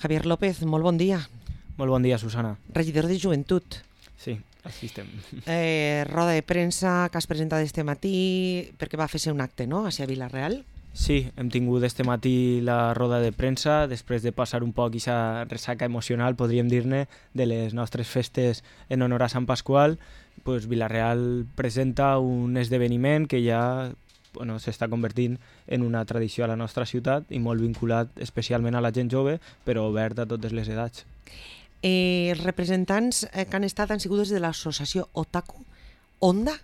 Javier López, molt bon dia. Molt bon dia, Susana. Regidor de Joventut. Sí, així estem. Roda de premsa que has presentat este matí perquè va fer-se un acte, no?, a Vila-real. Sí, hem tingut este matí la roda de premsa després de passar un poc aquesta ressaca emocional, podríem dir-ne, de les nostres festes en honor a Sant Pasqual. Pues Vila-real presenta un esdeveniment que ja s'està convertint en una tradició a la nostra ciutat i molt vinculat especialment a la gent jove, però obert a totes les edats. Els representants que han estat han sigut des de l'associació Otaku Onda?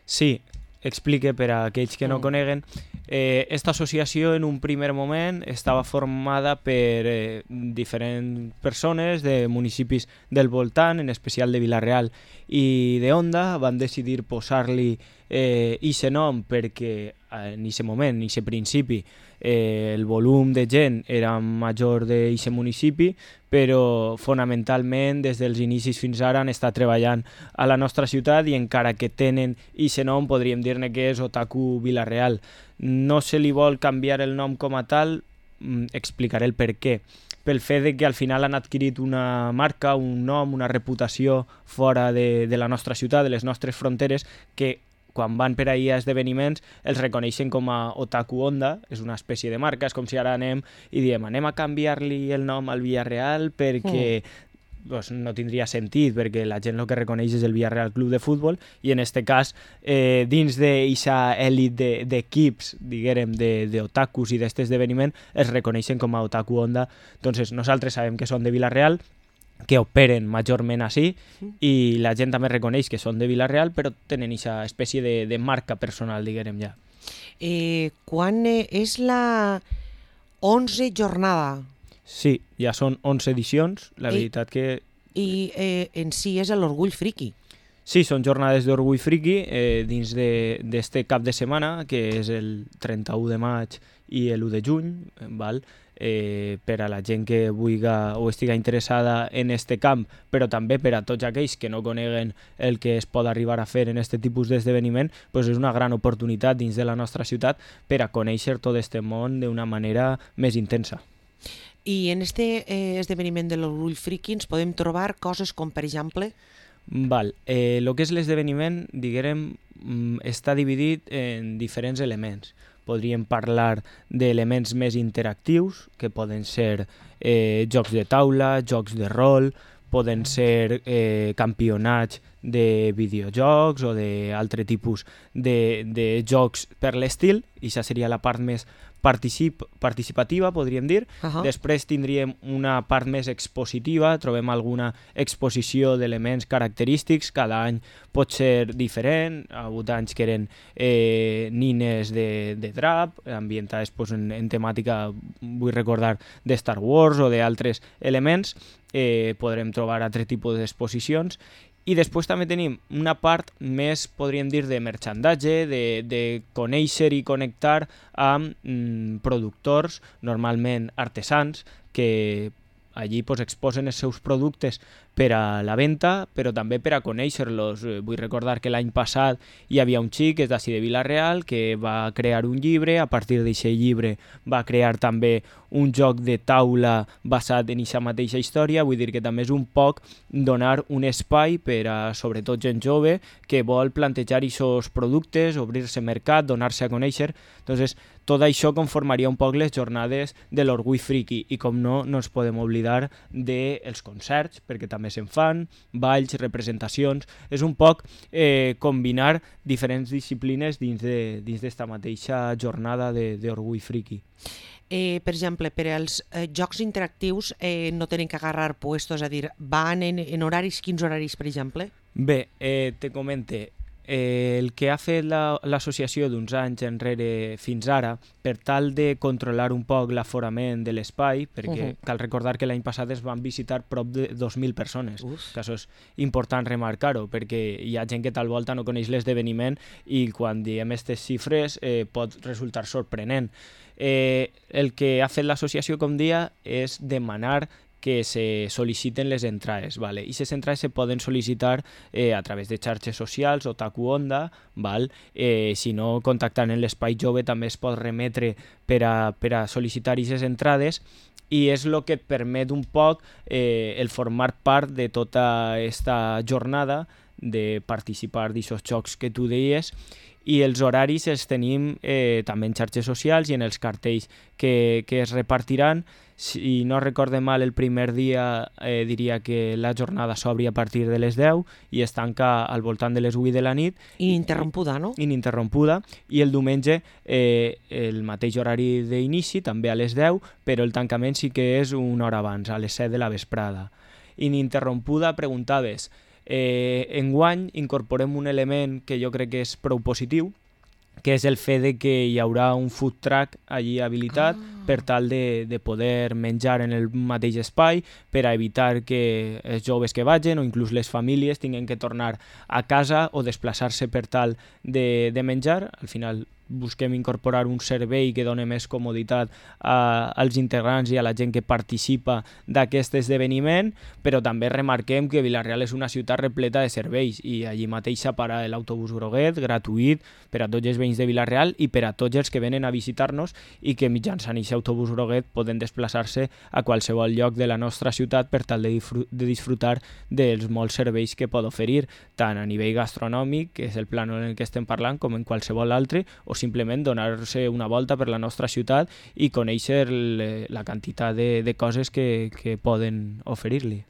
Sí, explique per a aquells que no coneguen. Esta associació en un primer moment estava formada per diferents persones de municipis del voltant, en especial de Vila-real i de Onda. Van decidir posar-li ixe nom perquè en aquest moment, en aquest principi, el volum de gent era major d'aquest municipi, però fonamentalment des dels inicis fins ara han estat treballant a la nostra ciutat i encara que tenen aquest nom podríem dir-ne que és Otaku Vila-real. No se li vol canviar el nom com a tal, explicaré el per què. Pel fet de que al final han adquirit una marca, un nom, una reputació fora de la nostra ciutat, de les nostres fronteres, que quan van per ahir a esdeveniments els reconeixen com a Otaku Onda, és una espècie de marca. És com si ara anem i diem anem a canviar-li el nom al Villarreal perquè no tindria sentit, perquè la gent el que reconeix és el Villarreal Club de Futbol i en aquest cas, dins d'aquesta èlit d'equips, diguem, d'otakus i d'aquest esdeveniment, es reconeixen com a Otaku Onda. Doncs nosaltres sabem que són de Vila-real, que operen majorment així, i la gent també reconeix que són de Vila-real, però tenen aquesta espècie de marca personal, diguem ja. Quan és la 11 jornada? Sí, ja són 11 edicions, la veritat que... I en si és l'Orgull Friki. Sí, són jornades d'Orgull Friki dins d'este cap de setmana, que és el 31 de maig i l'1 de juny, val? Per a la gent que vulgui o estigui interessada en este camp, però també per a tots aquells que no coneguen el que es pot arribar a fer en aquest tipus d'esdeveniment, doncs és una gran oportunitat dins de la nostra ciutat per a conèixer tot este món d'una manera més intensa. I en este esdeveniment de l'Orgull Friki ens podem trobar coses com, per exemple... Val, el que és l'esdeveniment, diguem, està dividit en diferents elements. Podríem parlar d'elements més interactius, que poden ser jocs de taula, jocs de rol, poden ser campionats de videojocs o d'altre tipus de jocs per l'estil, i això seria la part més participativa, podríem dir. Després tindríem una part més expositiva, trobem alguna exposició d'elements característics, cada any pot ser diferent. Ha hagut anys que eren nines de drap, ambientades en temàtica, vull recordar, de Star Wars o d'altres elements. Podrem trobar altre tipus d'exposicions. I després també tenim una part més, podríem dir, de merchandatge, de conèixer i connectar amb productors, normalment artesans, que allí exposen els seus productes per a la venda, però també per a conèixer-los. Vull recordar que l'any passat hi havia un xic, és d'ací de Vila-real, que va crear un llibre. A partir d'aquest llibre va crear també un joc de taula basat en aquesta mateixa història. Vull dir que també és un poc donar un espai per a, sobretot, gent jove que vol plantejar aquests productes, obrir-se mercat, donar-se a conèixer. Doncs tot això conformaria un poc les jornades de l'Orgull Friki. I com no ens podem oblidar dels concerts, perquè també se'n fan, balls, representacions. És un poc combinar diferents disciplines dins d'esta mateixa jornada d'Orgull Friki. Per exemple, per als jocs interactius no tenen que agarrar puestos, és a dir, van en horaris, quins horaris, per exemple? Bé, te comente. El que ha fet l'associació d'uns anys enrere fins ara, per tal de controlar un poc l'aforament de l'espai, perquè cal recordar que l'any passat es van visitar prop de 2.000 persones, que això és important remarcar-ho, perquè hi ha gent que tal volta no coneix l'esdeveniment i quan diem aquestes xifres pot resultar sorprenent. El que ha fet l'associació, com dia, és demanar que se sol·liciten les entrades, vale? I les entrades se poden sol·licitar a través de xarxes socials, Otaku Onda, val? Si no, contactant en l'Espai Jove també es pot remetre per a sol·licitar aquestes entrades, i és el que et permet un poc el formar part de tota aquesta jornada, de participar d'aquests jocs que tu deies, i els horaris els tenim també en xarxes socials i en els cartells que es repartiran. Si no recorde mal, el primer dia diria que la jornada s'obri a partir de les 10 i es tanca al voltant de les 8 de la nit. Ininterrompuda, no? Ininterrompuda, i el diumenge el mateix horari d'inici, també a les 10, però el tancament sí que és una hora abans, a les 7 de la vesprada. Ininterrompuda, preguntaves. Enguany incorporem un element que jo crec que és prou positiu, que és el fet de que hi haurà un food truck allí habilitat per tal de poder menjar en el mateix espai, per a evitar que els joves que vagin o inclús les famílies tinguin que tornar a casa o desplaçar-se per tal de menjar. Al final busquem incorporar un servei que doni més comoditat als integrants i a la gent que participa d'aquest esdeveniment, però també remarquem que Vila-real és una ciutat repleta de serveis i allí mateix s'apara l'autobús groguet, gratuït per a tots els veïns de Vila-real i per a tots els que venen a visitar-nos i que mitjançant aquest autobús groguet poden desplaçar-se a qualsevol lloc de la nostra ciutat per tal de disfrutar dels molts serveis que pot oferir, tant a nivell gastronòmic, que és el plan en el que estem parlant, com en qualsevol altre, o simplement donar-se una volta per la nostra ciutat i conèixer la quantitat de coses que poden oferir-li.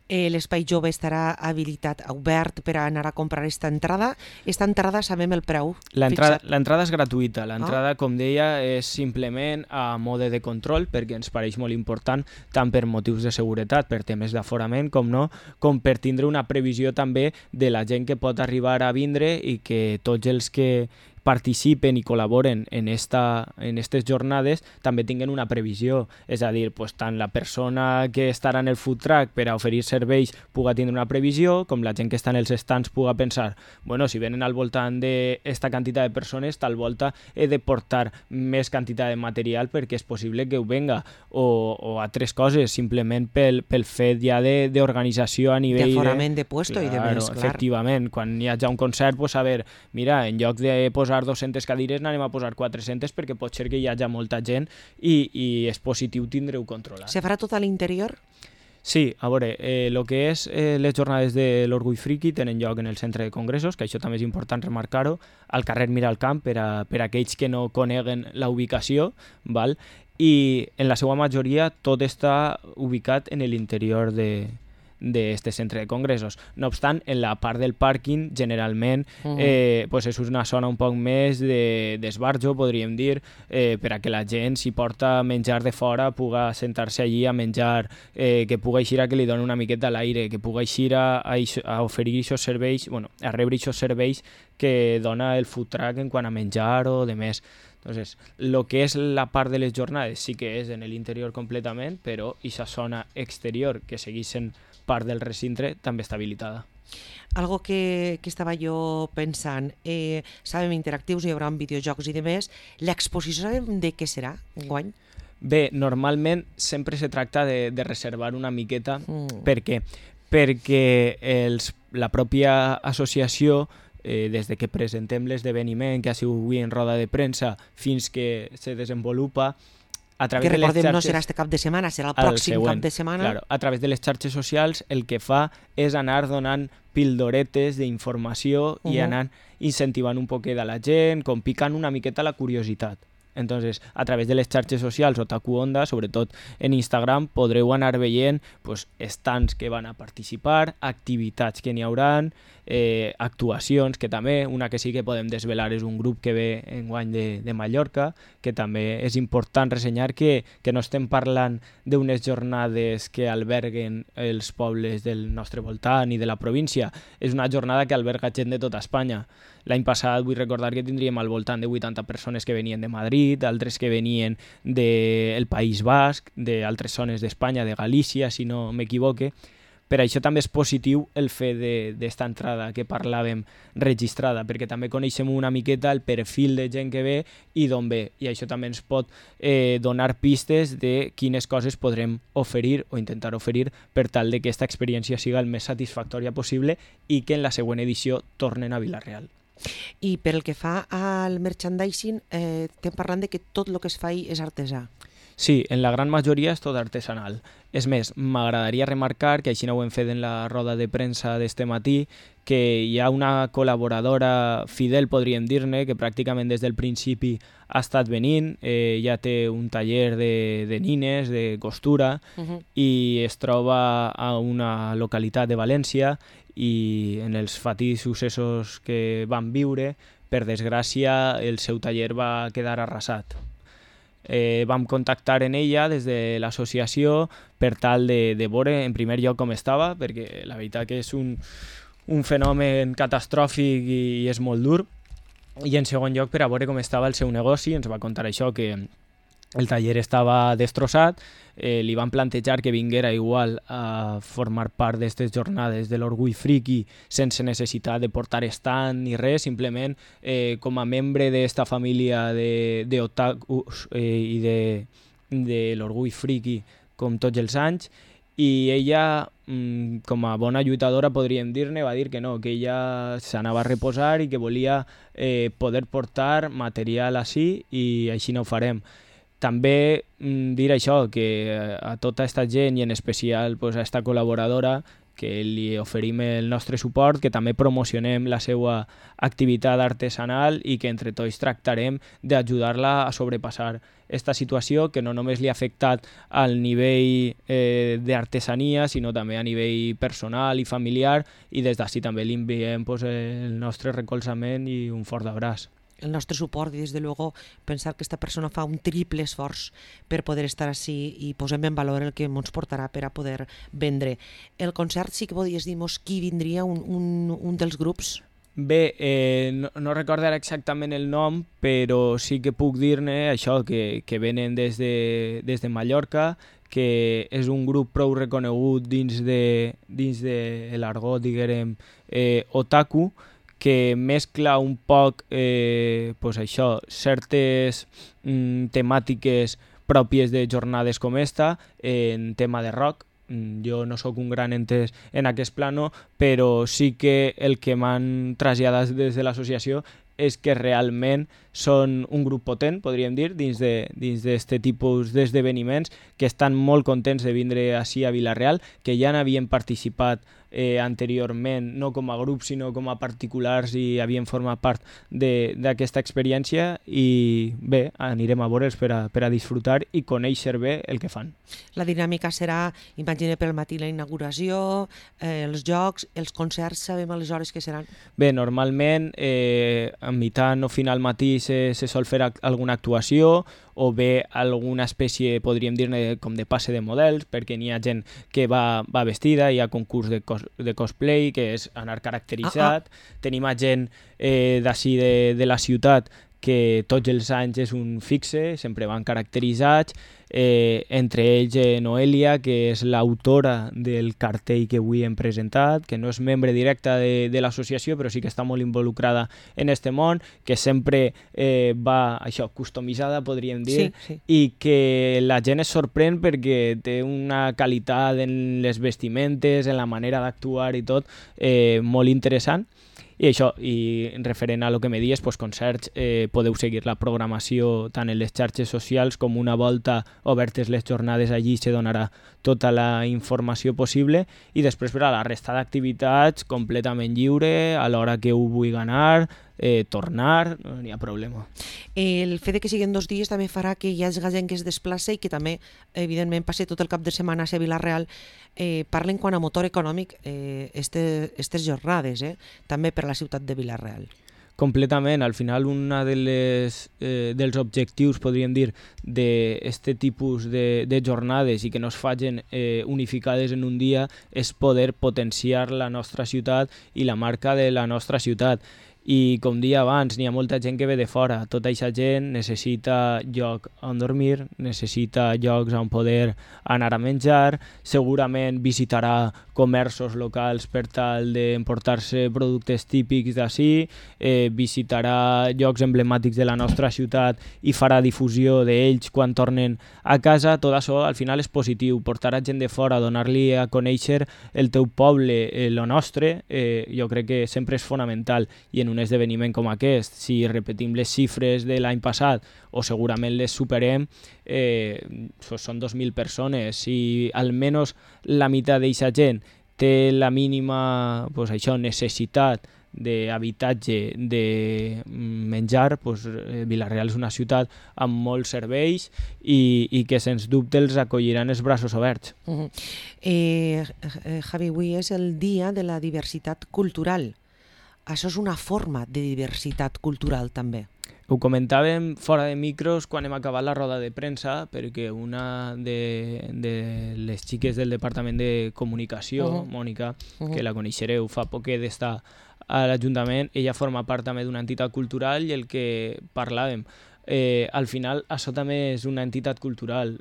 L'espai jove estarà habilitat, obert per a anar a comprar aquesta entrada. Aquesta entrada sabem el preu. L'entrada és gratuïta. L'entrada, com deia, és simplement a mode de control, perquè ens pareix molt important, tant per motius de seguretat, per temes d'aforament, com per tindre una previsió també de la gent que pot arribar a vindre i que tots els que participen i col·laboren en aquestes jornades també tinguen una previsió, és a dir, tant la persona que estarà en el food truck per a oferir serveis puga tindre una previsió, com la gent que està en els stands puga pensar, bueno, si venen al voltant d'esta quantitat de persones, tal volta he de portar més quantitat de material perquè és possible que ho venga, o altres coses, simplement pel fet ja d'organització a nivell d'aforament de puesto i de més, clar. Efectivament, quan hi ha ja un concert, a veure, mira, en lloc de posar 200 cadires n'anem a posar 400 perquè pot ser que hi hagi molta gent i és positiu tindre-ho controlat. Se farà tot a l'interior? Sí, a veure, el que és les jornades de l'Orgull Friki tenen lloc en el centre de congressos, que això també és important remarcar-ho, al carrer Miralcamp per a aquells que no coneguen la ubicació, val? I en la seva majoria tot està ubicat en l'interior d'este centre de congressos. No obstant, en la part del pàrquing generalment és una zona un poc més d'esbarjo, podríem dir, per a que la gent, si porta menjar de fora, puga sentar-se allí a menjar, que puga eixir a que li doni una miqueta a l'aire, que puga eixir a oferir aquests serveis, a rebre aquests serveis que dona el food truck en quant a menjar o de més. Entonces, lo que és la part de les jornades sí que és en l'interior completament, però aquesta zona exterior que segueix sent part del recinte també està habilitada. Algo que estava jo pensant, sabem interactius, hi haurà videojocs i de més, l'exposició sabem de què serà enguany? Bé, normalment sempre se tracta de reservar una miqueta. Per què? Perquè la pròpia associació, des de que presentem l'esdeveniment, que ha sigut avui en roda de premsa, fins que se desenvolupa, a través que recordem, de les xarxes, no serà este cap de setmana, serà el pròxim cap de setmana. Claro, a través de les xarxes socials el que fa és anar donant pildoretes d'informació i anar incentivant un poquet a la gent, com picant una miqueta la curiositat. Entonces, a través de les xarxes socials Otaku Onda, sobretot en Instagram, podreu anar veient stands que van a participar, activitats que n'hi hauran, actuacions, que també, una que sí que podem desvelar és un grup que ve enguany de Mallorca, que també és important ressenyar que no estem parlant d'unes jornades que alberguen els pobles del nostre voltant i de la província, és una jornada que alberga gent de tota Espanya. L'any passat vull recordar que tindríem al voltant de 80 persones que venien de Madrid, altres que venien del País Basc, d'altres zones d'Espanya, de Galícia, si no m'equivoque. Per això també és positiu el fet d'esta entrada que parlàvem registrada, perquè també coneixem una miqueta el perfil de gent que ve i d'on ve, i això també ens pot donar pistes de quines coses podrem oferir o intentar oferir per tal que aquesta experiència siga el més satisfactòria possible i que en la següent edició tornen a Vila-real. I per el que fa al merchandising, estem parlant de que tot el que es fa és artesà. Sí, en la gran majoria és tot artesanal. És més, m'agradaria remarcar, que així no ho hem fet en la roda de premsa d'este matí, que hi ha una col·laboradora fidel, podríem dir-ne, que pràcticament des del principi ha estat venint, ja té un taller de nines, de costura, i es troba a una localitat de València, i en els fatís successos que van viure, per desgràcia, el seu taller va quedar arrasat. Vam contactar en ella des de l'associació per tal de veure en primer lloc com estava, perquè la veritat que és un fenomen catastròfic i és molt dur, i en segon lloc per a veure com estava el seu negoci. Ens va contar això, que el taller estava destrossat. Li van plantejar que vinguera igual a formar part d'aquestes jornades de l'Orgull Friki sense necessitat de portar stand ni res, simplement com a membre d'esta família d'otakus i de l'Orgull Friki com tots els anys, i ella, com a bona lluitadora podríem dir-ne, va dir que no, que ella s'anava a reposar i que volia poder portar material així, i així no ho farem. També dir això, que a tota aquesta gent, i en especial a esta col·laboradora, que li oferim el nostre suport, que també promocionem la seva activitat artesanal i que entre tots tractarem d'ajudar-la a sobrepassar aquesta situació, que no només li ha afectat al nivell d'artesania, sinó també a nivell personal i familiar, i des d'ací també li enviem el nostre recolzament i un fort abraç. El nostre suport, i des de luego pensar que esta persona fa un triple esforç per poder estar així, i posem en valor el que ens portarà per a poder vendre. El concert, sí que podies dir-nos qui vindria, un dels grups? Bé, no recordo ara exactament el nom, però sí que puc dir-ne això, que venen des de Mallorca, que és un grup prou reconegut dins de l'argot, diguem, otaku, que mescla un poc això, certes temàtiques pròpies de jornades com esta en tema de rock. Jo no sóc un gran entès en aquest plano, però sí que el que m'han traslladat des de l'associació és que realment són un grup potent, podríem dir, dins d'aquest tipus d'esdeveniments, que estan molt contents de vindre així a Vila-real, que ja n'havien participat anteriorment, no com a grup sinó com a particulars, i havien format part d'aquesta experiència, i bé, anirem a veure'ls per a disfrutar i conèixer bé el que fan. La dinàmica serà, imagina, per al matí la inauguració, els jocs, els concerts, sabem aleshores què seran? Bé, normalment a mitjan o final matí se sol fer alguna actuació, o bé alguna espècie, podríem dir-ne, com de passe de models, perquè n'hi ha gent que va vestida, hi ha concurs de cosplay, que és anar caracteritzat. Tenim a gent d'ací de la ciutat que tots els anys és un fixe, sempre van caracteritzats, entre ells Noelia, que és l'autora del cartell que avui hem presentat, que no és membre directe de l'associació, però sí que està molt involucrada en este món, que sempre va això, customitzada, podríem dir, sí. I que la gent es sorprèn perquè té una qualitat en les vestimentes, en la manera d'actuar i tot, molt interessant. I això, i referent a lo que me dies, concerts, podeu seguir la programació tant en les xarxes socials com una volta obertes les jornades, allí se donarà tota la informació possible, i després per a la resta d'activitats completament lliure, a l'hora que ho vulgui anar, tornar, no n'hi ha problema. El fet que siguin 2 dies també farà que hi hagi gent que es desplaça i que també, evidentment, passi tot el cap de setmana a Vila-real. Parlen quant a motor econòmic aquestes jornades, també per a la ciutat de Vila-real. Completament. Al final, un dels objectius, podríem dir, d'aquest tipus de jornades, i que no es facin unificades en un dia, és poder potenciar la nostra ciutat i la marca de la nostra ciutat. I com dia abans, n'hi ha molta gent que ve de fora. Tota aquesta gent necessita lloc on dormir, necessita llocs on poder anar a menjar, segurament visitarà comerços locals per tal d'emportar-se productes típics d'ací, visitarà llocs emblemàtics de la nostra ciutat i farà difusió d'ells quan tornen a casa. Tot això al final és positiu, portar a gent de fora, donar-li a conèixer el teu poble, lo nostre, jo crec que sempre és fonamental, i en un esdeveniment com aquest, si repetim les xifres de l'any passat o segurament les superem, són 2.000 persones. Si almenys la meitat d'aquesta gent té la mínima necessitat d'habitatge, de menjar, Vila-real és una ciutat amb molts serveis i que sens dubte els acolliran els braços oberts. Javi, avui és el dia de la diversitat cultural. Això és una forma de diversitat cultural també. Ho comentàvem fora de micros quan hem acabat la roda de premsa, perquè una de les xiques del Departament de Comunicació, Mònica, que la coneixereu, fa poquet d'estar a l'Ajuntament, ella forma part també d'una entitat cultural, i el que parlàvem, al final això també és una entitat cultural,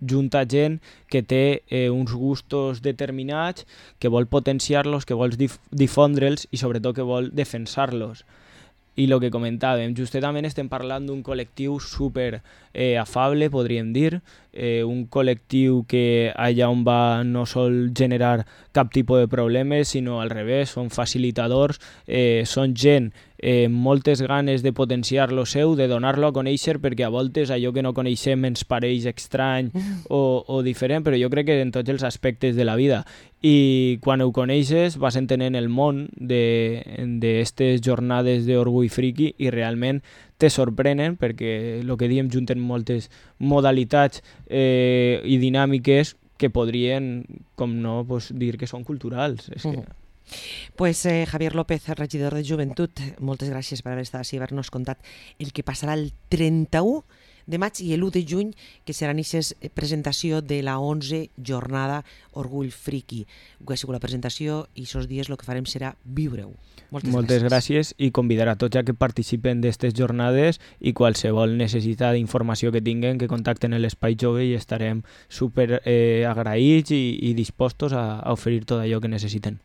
junta gent que té uns gustos determinats, que vol potenciar-los, que vol difondre'ls i sobretot que vol defensar-los. I el que comentàvem, justament estem parlant d'un col·lectiu super afable, podríem dir, un col·lectiu que allà on va no sol generar cap tipus de problemes, sinó al revés, són facilitadors, són gent amb moltes ganes de potenciar lo seu, de donar-lo a conèixer, perquè a voltes allò que no coneixem ens pareix estrany o diferent, però jo crec que en tots els aspectes de la vida. I quan ho coneixes vas entenent el món d'aquestes jornades d'orgull friki i realment te sorprenen, perquè el que diem, junten moltes modalitats i dinàmiques que podrien, com no, dir que són culturals. És que... Javier López, regidor de Joventut, moltes gràcies per haver estat així i haver-nos contat el que passarà el 31 de maig i l'1 de juny, que serà aquesta presentació de la 11 jornada Orgull Friki. Que ha sigut la presentació i aquests dies el que farem serà viure-ho. Moltes gràcies i convidar a tots a que participen d'aquestes jornades, i qualsevol necessitat d'informació que tinguen que contacten l'Espai Jove i estarem super agraïts i dispostos a oferir tot allò que necessiten.